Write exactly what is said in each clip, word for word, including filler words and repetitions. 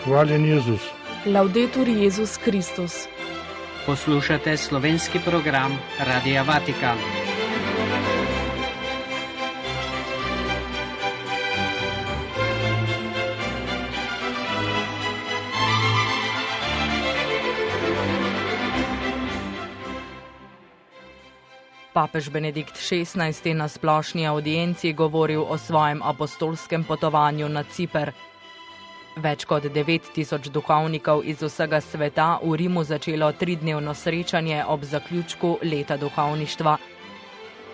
Hvaljen Jezus. Laudetur Jezus Kristus. Poslušate slovenski program Radia Vatikan. Papež Benedikt šestnajsti na splošni avdienci govoril o svojem apostolskem potovanju na Ciper. Več kot devet tisoč duhovnikov iz vsega sveta v Rimu začelo tridnevno srečanje ob zaključku leta duhovništva.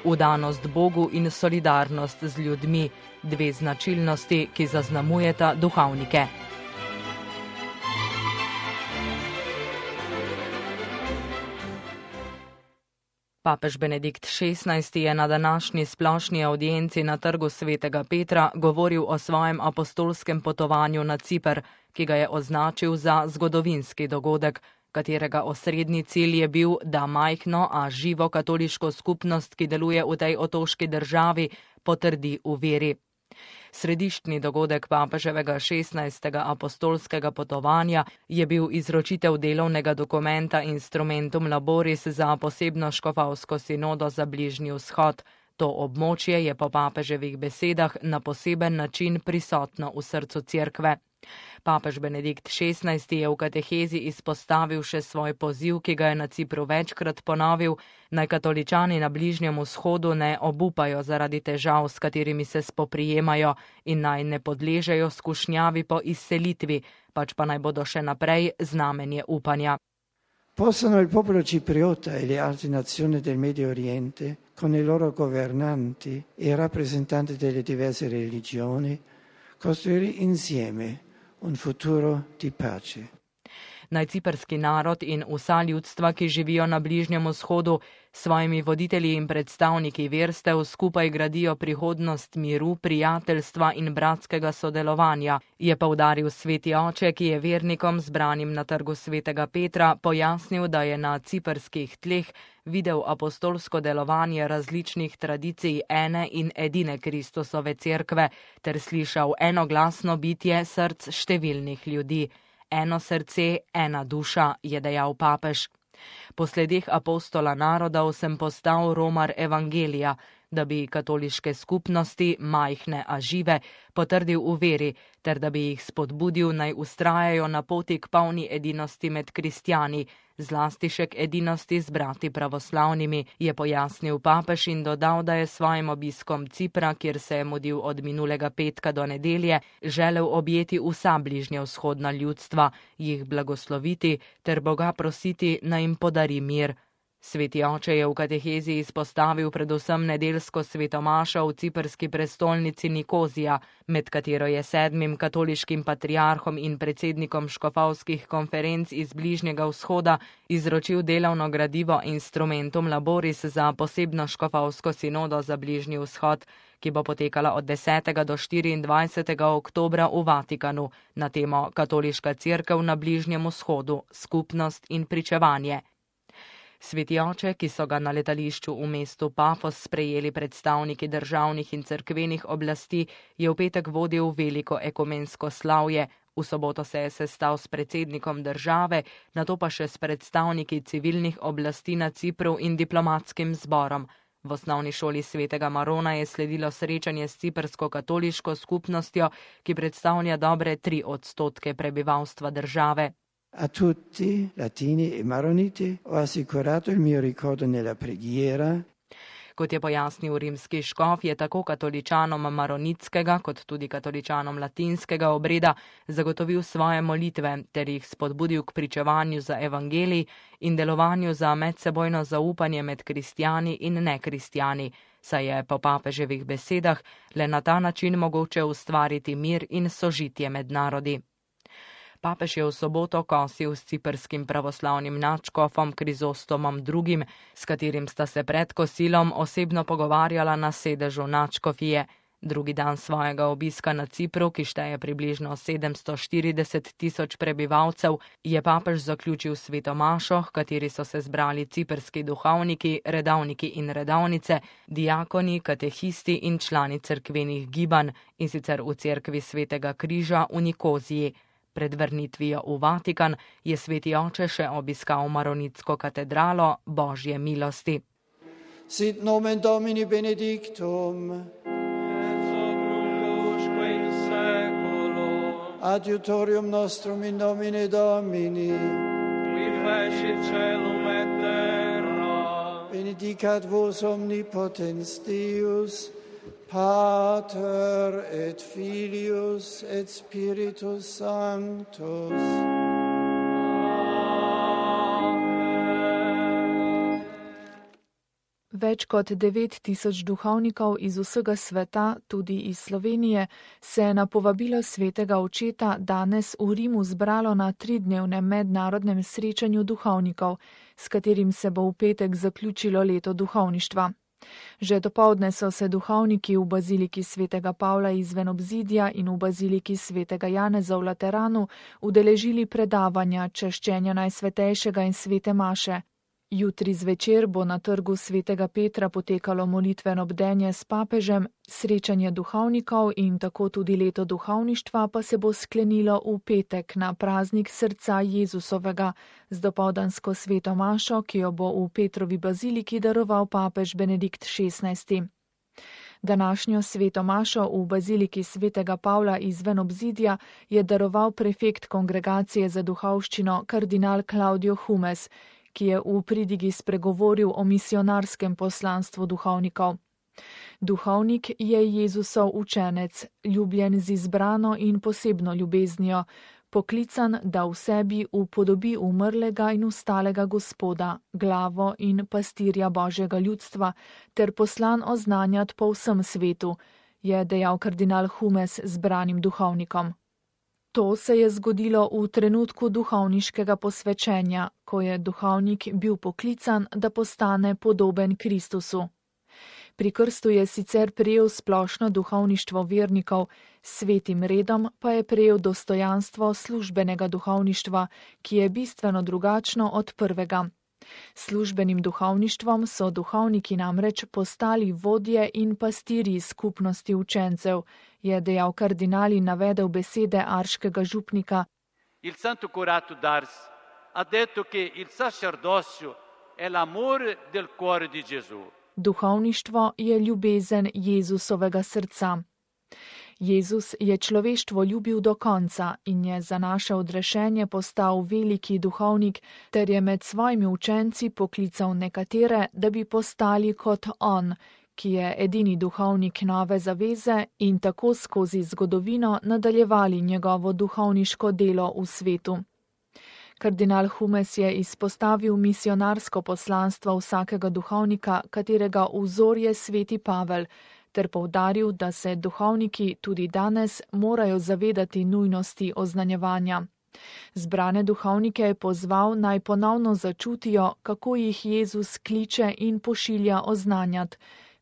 Vdanost Bogu in solidarnost z ljudmi, dve značilnosti, ki zaznamujeta duhovnike. Papež Benedikt šestnajsti je na današnji splošni avdienci na trgu svetega Petra govoril o svojem apostolskem potovanju na Ciper, ki ga je označil za zgodovinski dogodek, katerega osrednji cilj je bil, da majhno, a živo katoliško skupnost, ki deluje v tej otoški državi, potrdi v veri. Središčni dogodek papeževega šestnajstega apostolskega potovanja je bil izročitev delovnega dokumenta Instrumentum Laboris za posebno škofovsko sinodo za Bližnji vzhod. To območje je po papeževih besedah na poseben način prisotno v srcu cerkve. Papež Benedikt šestnajsti je v katehezi izpostavil še svoj poziv, ki ga je na Cipru večkrat ponovil, naj katoličani na Bližnjem vzhodu ne obupajo zaradi težav, s katerimi se spoprijemajo, in naj ne podležejo skušnjavi po izselitvi, pač pa naj bodo še naprej znamenje upanja. Possano il popolo cipriota e le altre nazioni del Medio Oriente, con i loro governanti e rappresentanti delle diverse religioni, costruire insieme un futuro di pace. Naj ciperski narod in vsa ljudstva, ki živijo na Bližnjem vzhodu, s svojimi voditelji in predstavniki verstev skupaj gradijo prihodnost miru, prijateljstva in bratskega sodelovanja, je poudaril sveti oče, ki je vernikom zbranim na trgu svetega Petra pojasnil, da je na ciperskih tleh videl apostolsko delovanje različnih tradicij ene in edine Kristusove cerkve ter slišal enoglasno bitje src številnih ljudi. Eno srce, ena duša, je dejal papež. Po sledeh apostola narodov sem postal romar evangelija, da bi katoliške skupnosti, majhne a žive, potrdil v veri, ter da bi jih spodbudil naj vztrajajo na poti k polni edinosti med kristjani, zlasti še k edinosti z brati pravoslavnimi, je pojasnil papež in dodal, da je svojim obiskom Cipra, kjer se je mudil od minulega petka do nedelje, želel objeti vsa bližnjevzhodna ljudstva, jih blagosloviti ter Boga prositi, naj jim podari mir. Sveti oče je v katehezi izpostavil predvsem nedeljsko svetomašo v ciprski prestolnici Nikozija, med katero je sedmim katoliškim patriarhom in predsednikom škofovskih konferenc iz Bližnjega vzhoda izročil delovno gradivo Instrumentum Laboris za posebno škofovsko sinodo za Bližnji vzhod, ki bo potekala od desetega do štiriindvajsetega oktobra v Vatikanu na temo Katoliška cerkev na Bližnjem vzhodu, skupnost in pričevanje. Sveti oče, ki so ga na letališču v mestu Pafos sprejeli predstavniki državnih in cerkvenih oblasti, je v petek vodil veliko ekumensko slavje. V soboto se je sestal s predsednikom države, nato pa še s predstavniki civilnih oblasti na Cipru in diplomatskim zborom. V osnovni šoli svetega Marona je sledilo srečanje s ciprsko katoliško skupnostjo, ki predstavlja dobre tri odstotke prebivalstva države. A tutti, latini e maroniti, ho assicurato il mio ricordo nella preghiera. Kot je pojasnil rimski škof, je tako katoličanom maronitskega kot tudi katoličanom latinskega obreda zagotovil svoje molitve ter jih spodbudil k pričevanju za evangelij in delovanju za medsebojno zaupanje med kristjani in nekristjani, saj je po papeževih besedah le na ta način mogoče ustvariti mir in sožitje med narodi. Papež je v soboto kosil s ciprskim pravoslavnim nadškofom Krizostomom drugim, s katerim sta se pred kosilom osebno pogovarjala na sedežu nadškofije. Drugi dan svojega obiska na Cipru, ki šteje približno sedemsto štirideset tisoč prebivalcev, je papež zaključil svetomašo, v kateri so se zbrali ciprski duhovniki, redavniki in redavnice, diakoni, katehisti in člani cerkvenih gibanj, in sicer v cerkvi Svetega križa v Nikoziji. Pred vrnitvijo v Vatikan je sveti oče še obiskal Maronitsko katedralo Božje milosti. Sit nomen Domini benedictum, adiutorium nostrum in nomine Domini, qui fecit caelum et terra, benedicat vos omnipotens Deus, Pater et Filius et Spiritus Sanctus. Več kot devet tisoč duhovnikov iz vsega sveta, tudi iz Slovenije, se je na povabilo svetega očeta danes v Rimu zbralo na tridnevnem mednarodnem srečanju duhovnikov, s katerim se bo v petek zaključilo leto duhovništva. Že dopoldne so se duhovniki v baziliki svetega Pavla izven obzidja in v baziliki svetega Janeza v Lateranu udeležili predavanja češčenja Najsvetejšega in svete maše. Jutri zvečer bo na trgu svetega Petra potekalo molitveno bdenje s papežem, srečanje duhovnikov in tako tudi leto duhovništva pa se bo sklenilo v petek na praznik srca Jezusovega z dopoldansko sveto mašo, ki jo bo v Petrovi baziliki daroval papež Benedikt šestnajsti. Današnjo sveto mašo v baziliki svetega Pavla izven obzidja je daroval prefekt kongregacije za duhovščino kardinal Claudio Humes, ki je v pridigi spregovoril o misionarskem poslanstvu duhovnikov. Duhovnik je Jezusov učenec, ljubljen z izbrano in posebno ljubeznijo, poklican, da v sebi upodobi umrlega in ustalega Gospoda, glavo in pastirja Božjega ljudstva, ter poslan oznanjati po vsem svetu, je dejal kardinal Humes zbranim duhovnikom. To se je zgodilo v trenutku duhovniškega posvečenja, ko je duhovnik bil poklican, da postane podoben Kristusu. Pri krstu je sicer prejel splošno duhovništvo vernikov, s svetim redom pa je prejel dostojanstvo službenega duhovništva, ki je bistveno drugačno od prvega. Službenim duhovništvom so duhovniki namreč postali vodje in pastirji skupnosti učencev, je dejal kardinal in navedel besede arškega župnika. Il Santo Curato d'Ars ha detto che il sacerdocio è l'amore del cuore di Gesù. Duhovništvo je ljubezen Jezusovega srca. Jezus je človeštvo ljubil do konca in je za naše odrešenje postal veliki duhovnik, ter je med svojimi učenci poklical nekatere, da bi postali kot on, ki je edini duhovnik nove zaveze in tako skozi zgodovino nadaljevali njegovo duhovniško delo v svetu. Kardinal Humes je izpostavil misionarsko poslanstvo vsakega duhovnika, katerega vzor je sveti Pavel, ter poudaril, da se duhovniki tudi danes morajo zavedati nujnosti oznanjevanja. Zbrane duhovnike je pozval, naj ponovno začutijo, kako jih Jezus kliče in pošilja oznanjati,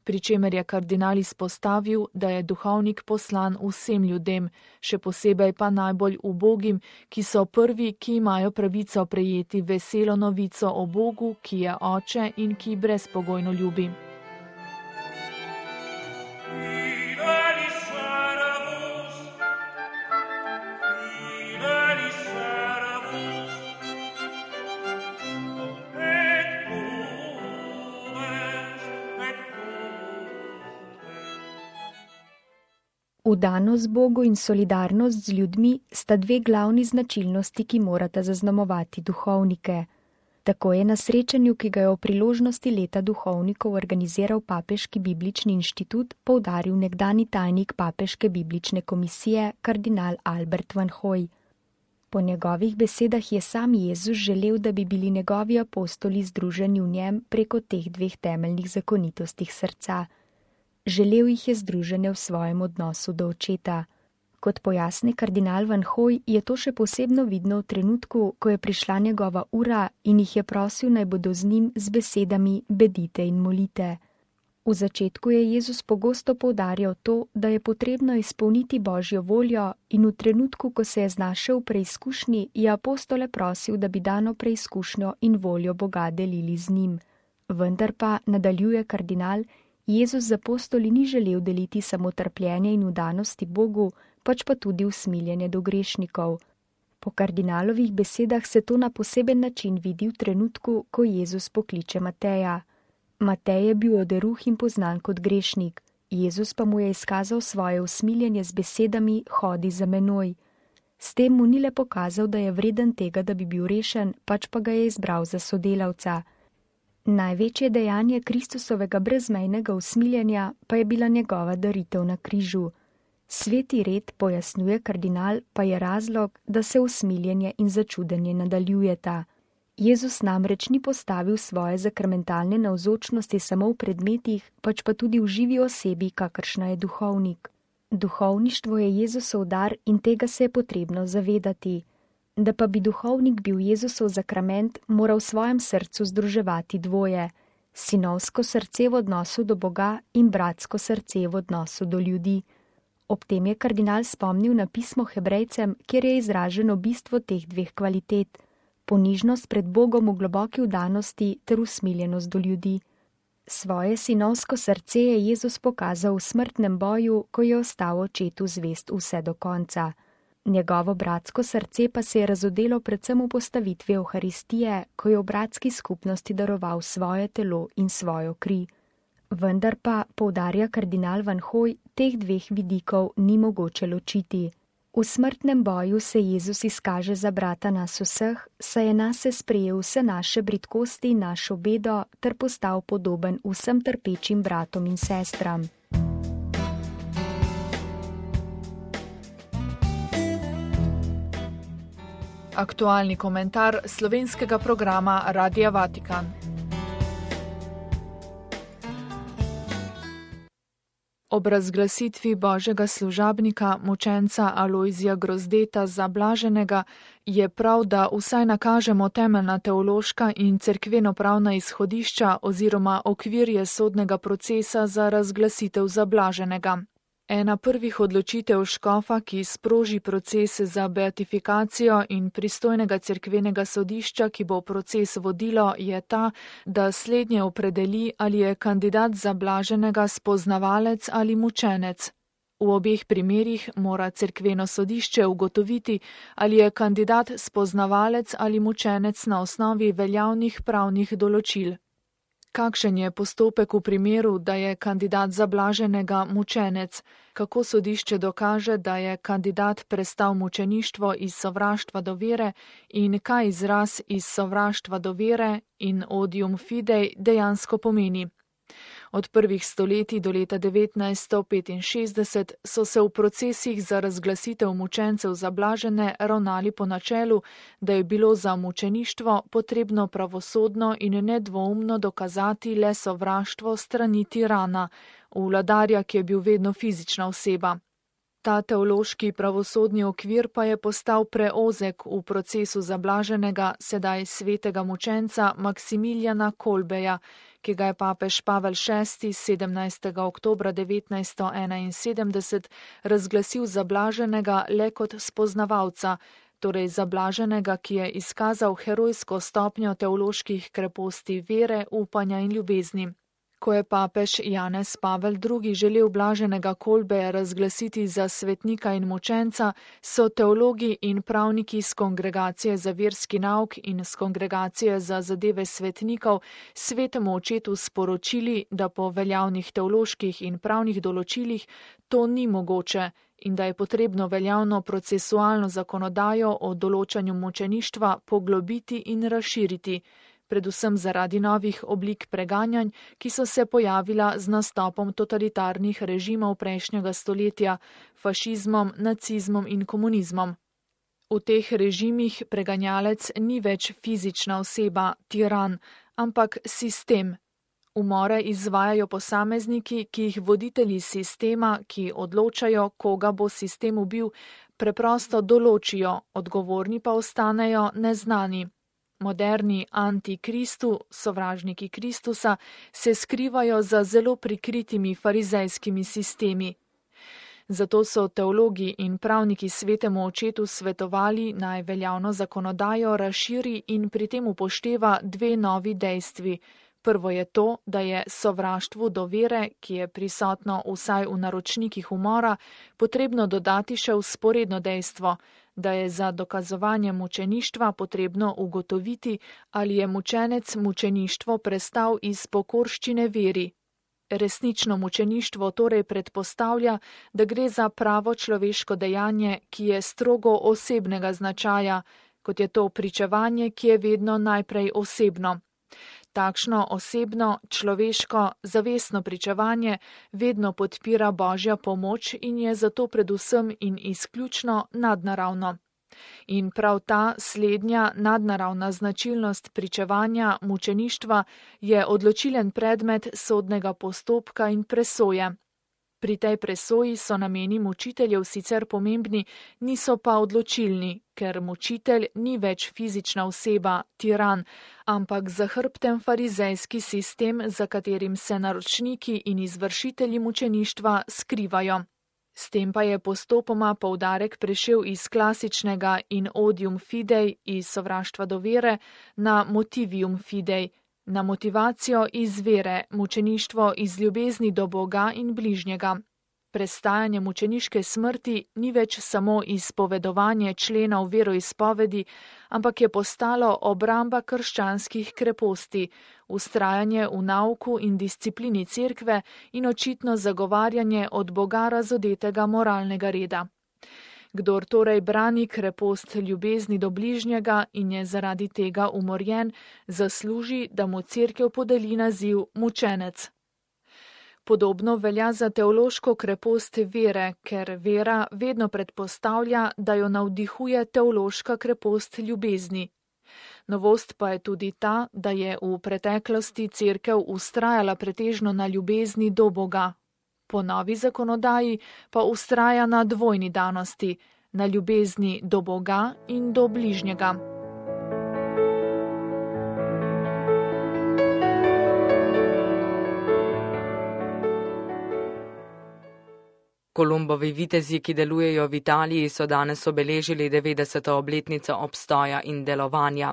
pri čemer je kardinal izpostavil, da je duhovnik poslan vsem ljudem, še posebej pa najbolj ubogim, ki so prvi, ki imajo pravico prejeti veselo novico o Bogu, ki je oče in ki brezpogojno ljubi. Vdanost Bogu in solidarnost z ljudmi sta dve glavni značilnosti, ki morata zaznamovati duhovnike. Tako je na srečanju, ki ga je o priložnosti leta duhovnikov organiziral Papeški biblični inštitut, poudaril nekdani tajnik Papeške biblične komisije kardinal Albert Van Hooy. Po njegovih besedah je sam Jezus želel, da bi bili njegovi apostoli združeni v njem preko teh dveh temeljnih zakonitostih srca. Želel jih je združene v svojem odnosu do očeta. Kot pojasni kardinal Van Hooy, je to še posebno vidno v trenutku, ko je prišla njegova ura in jih je prosil, naj bodo z njim z besedami bedite in molite. V začetku je Jezus pogosto poudarjal to, da je potrebno izpolniti Božjo voljo in v trenutku, ko se je znašel v preizkušnji, je apostole prosil, da bi dano preizkušnjo in voljo Boga delili z njim. Vendar pa, nadaljuje kardinal, Jezus z apostoli ni želel deliti samo trpljenje in vdanosti Bogu, pač pa tudi usmiljenje do grešnikov. Po kardinalovih besedah se to na poseben način vidi v trenutku, ko Jezus pokliče Mateja. Matej je bil oderuh in poznan kot grešnik, Jezus pa mu je izkazal svoje usmiljenje z besedami: hodi za menoj. S tem mu ni le pokazal, da je vreden tega, da bi bil rešen, pač pa ga je izbral za sodelavca. Največje dejanje Kristusovega brezmejnega usmiljenja pa je bila njegova daritev na križu. Sveti red, pojasnjuje kardinal, pa je razlog, da se usmiljenje in začudenje nadaljujeta. Jezus namreč ni postavil svoje zakramentalne navzočnosti samo v predmetih, pač pa tudi v živi osebi, kakršna je duhovnik. Duhovništvo je Jezusov dar in tega se je potrebno zavedati. Da pa bi duhovnik bil Jezusov zakrament, mora v svojem srcu združevati dvoje: sinovsko srce v odnosu do Boga in bratsko srce v odnosu do ljudi. Ob tem je kardinal spomnil na pismo Hebrejcem, kjer je izraženo bistvo teh dveh kvalitet: ponižnost pred Bogom v globoki vdanosti ter usmiljenost do ljudi. Svoje sinovsko srce je Jezus pokazal v smrtnem boju, ko je ostal očetu zvest vse do konca. Njegovo bratsko srce pa se je razodelo predvsem v postavitvi Evharistije, ko je v bratski skupnosti daroval svoje telo in svojo kri. Vendar pa, poudarja kardinal Van Hooy, teh dveh vidikov ni mogoče ločiti. V smrtnem boju se Jezus izkaže za brata nas vseh, saj je nase sprejel vse naše bridkosti in našo bedo ter postal podoben vsem trpečim bratom in sestram. Aktualni komentar slovenskega programa Radia Vatikan. Ob razglasitvi božjega služabnika, mučenca Alojzija Grozdeta za blaženega, je prav, da vsaj nakažemo temeljna teološka in cerkveno-pravna izhodišča oziroma okvirje sodnega procesa za razglasitev za blaženega. Ena prvih odločitev škofa, ki sproži proces za beatifikacijo in pristojnega cerkvenega sodišča, ki bo proces vodilo, je ta, da slednje opredeli, ali je kandidat za blaženega spoznavalec ali mučenec. V obeh primerih mora cerkveno sodišče ugotoviti, ali je kandidat spoznavalec ali mučenec na osnovi veljavnih pravnih določil. Kakšen je postopek v primeru, da je kandidat za blaženega mučenec? Kako sodišče dokaže, da je kandidat prestal mučeništvo iz sovraštva do vere in kaj izraz iz sovraštva do vere in odium fidei dejansko pomeni? Od prvih stoletij do leta devetnajststo petinšestdeset so se v procesih za razglasitev mučencev za blažene ravnali po načelu, da je bilo za mučeništvo potrebno pravosodno in nedvoumno dokazati le sovraštvo strani tirana, vladarja, ki je bil vedno fizična oseba. Ta teološki pravosodni okvir pa je postal preozek v procesu za blaženega, sedaj svetega mučenca Maksimiljana Kolbeja, ki ga je papež Pavel šesti sedemnajstega oktobra devetnajststo enainsedemdeset razglasil za blaženega le kot spoznavalca, torej za blaženega, ki je izkazal herojsko stopnjo teoloških kreposti vere, upanja in ljubezni. Ko je papež Janez Pavel drugi želel blaženega Kolbeja razglasiti za svetnika in mučenca, so teologi in pravniki z Kongregacije za verski nauk in z Kongregacije za zadeve svetnikov svetemu očetu sporočili, da po veljavnih teoloških in pravnih določilih to ni mogoče in da je potrebno veljavno procesualno zakonodajo o določanju mučeništva poglobiti in razširiti, predvsem zaradi novih oblik preganjanj, ki so se pojavila z nastopom totalitarnih režimov prejšnjega stoletja, fašizmom, nacizmom in komunizmom. V teh režimih preganjalec ni več fizična oseba, tiran, ampak sistem. Umore izvajajo posamezniki, ki jih voditelji sistema, ki odločajo, koga bo sistem ubil, preprosto določijo, odgovorni pa ostanejo neznani. Moderni antikristu, sovražniki Kristusa, se skrivajo za zelo prikritimi farizejskimi sistemi. Zato so teologi in pravniki svetemu očetu svetovali, naj veljavno zakonodajo razširi in pri tem upošteva dve novi dejstvi. Prvo je to, da je sovraštvu do vere, ki je prisotno vsaj v naročnikih umora, potrebno dodati še vzporedno dejstvo, da je za dokazovanje mučeništva potrebno ugotoviti, ali je mučenec mučeništvo prestal iz pokorščine veri. Resnično mučeništvo torej predpostavlja, da gre za pravo človeško dejanje, ki je strogo osebnega značaja, kot je to pričevanje, ki je vedno najprej osebno. Takšno osebno, človeško, zavestno pričevanje vedno podpira Božja pomoč in je zato predvsem in izključno nadnaravno. In prav ta slednja nadnaravna značilnost pričevanja mučeništva je odločilen predmet sodnega postopka in presoje. Pri tej presoji so nameni mučiteljev sicer pomembni, niso pa odločilni, ker mučitelj ni več fizična oseba, tiran, ampak zahrbten farizejski sistem, za katerim se naročniki in izvršitelji mučeništva skrivajo. S tem pa je postopoma poudarek prešel iz klasičnega in odium fidei, iz sovraštva do vere, na motivium fidei, na motivacijo iz vere, mučeništvo iz ljubezni do Boga in bližnjega. Prestajanje mučeniške smrti ni več samo izpovedovanje členov veroizpovedi, ampak je postalo obramba krščanskih kreposti, ustrajanje v nauku in disciplini cerkve in očitno zagovarjanje od Boga razodetega moralnega reda. Kdor torej brani krepost ljubezni do bližnjega in je zaradi tega umorjen, zasluži, da mu cerkev podeli naziv mučenec. Podobno velja za teološko krepost vere, ker vera vedno predpostavlja, da jo navdihuje teološka krepost ljubezni. Novost pa je tudi ta, da je v preteklosti cerkev ustrajala pretežno na ljubezni do Boga. Po novi zakonodaji pa ustraja na dvojni danosti, na ljubezni do Boga in do bližnjega. Kolumbovi vitezi, ki delujejo v Italiji, so danes obeležili devetdeseto obletnico obstoja in delovanja.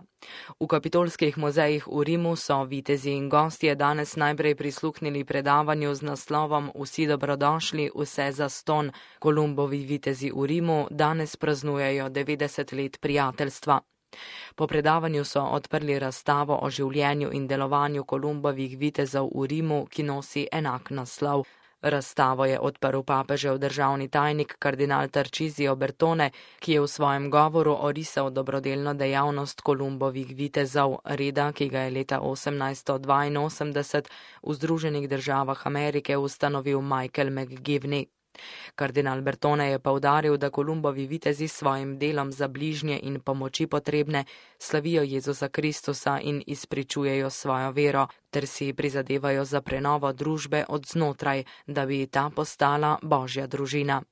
V kapitolskih muzejih v Rimu so vitezi in gostje danes najprej prisluhnili predavanju z naslovom Vsi dobrodošli, vse zastonj. Kolumbovi vitezi v Rimu danes praznujejo devetdeset let prijateljstva. Po predavanju so odprli razstavo o življenju in delovanju Kolumbovih vitezov v Rimu, ki nosi enak naslov. Razstavo je odprl papežev državni tajnik kardinal Tarcisio Bertone, ki je v svojem govoru orisal dobrodelno dejavnost Kolumbovih vitezov, reda, ki ga je leta osemnajststo dvainosemdeset v Združenih državah Amerike ustanovil Michael McGivney. Kardinal Bertone je poudaril, da Kolumbovi vitezi s svojim delom za bližnje in pomoči potrebne slavijo Jezusa Kristusa in izpričujejo svojo vero, ter si prizadevajo za prenovo družbe od znotraj, da bi ta postala Božja družina.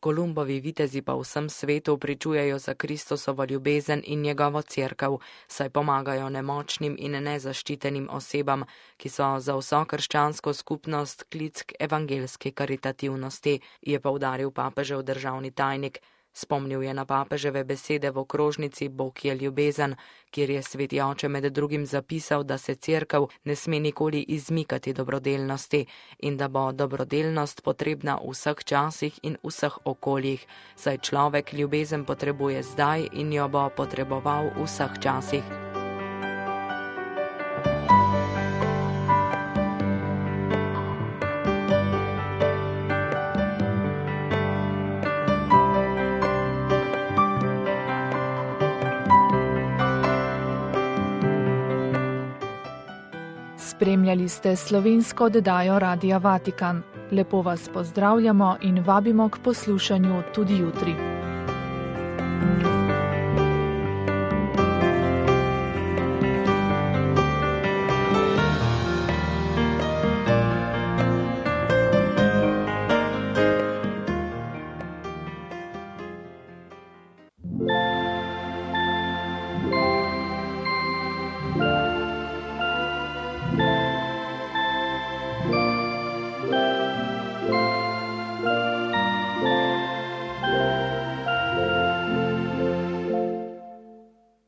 Kolumbovi vitezi pa v vsem svetu pričujejo za Kristusovo ljubezen in njegovo cerkev, saj pomagajo nemočnim in nezaščitenim osebam, ki so za vso krščansko skupnost klic k evangelski karitativnosti, je poudaril papežev državni tajnik. Spomnil je na papeževe besede v okrožnici Bog je ljubezen, kjer je sveti oče med drugim zapisal, da se cerkev ne sme nikoli izmikati dobrodelnosti in da bo dobrodelnost potrebna v vseh časih in vseh okoljih, saj človek ljubezen potrebuje zdaj in jo bo potreboval v vseh časih. Spremljali ste slovensko oddajo Radia Vatikan. Lepo vas pozdravljamo in vabimo k poslušanju tudi jutri.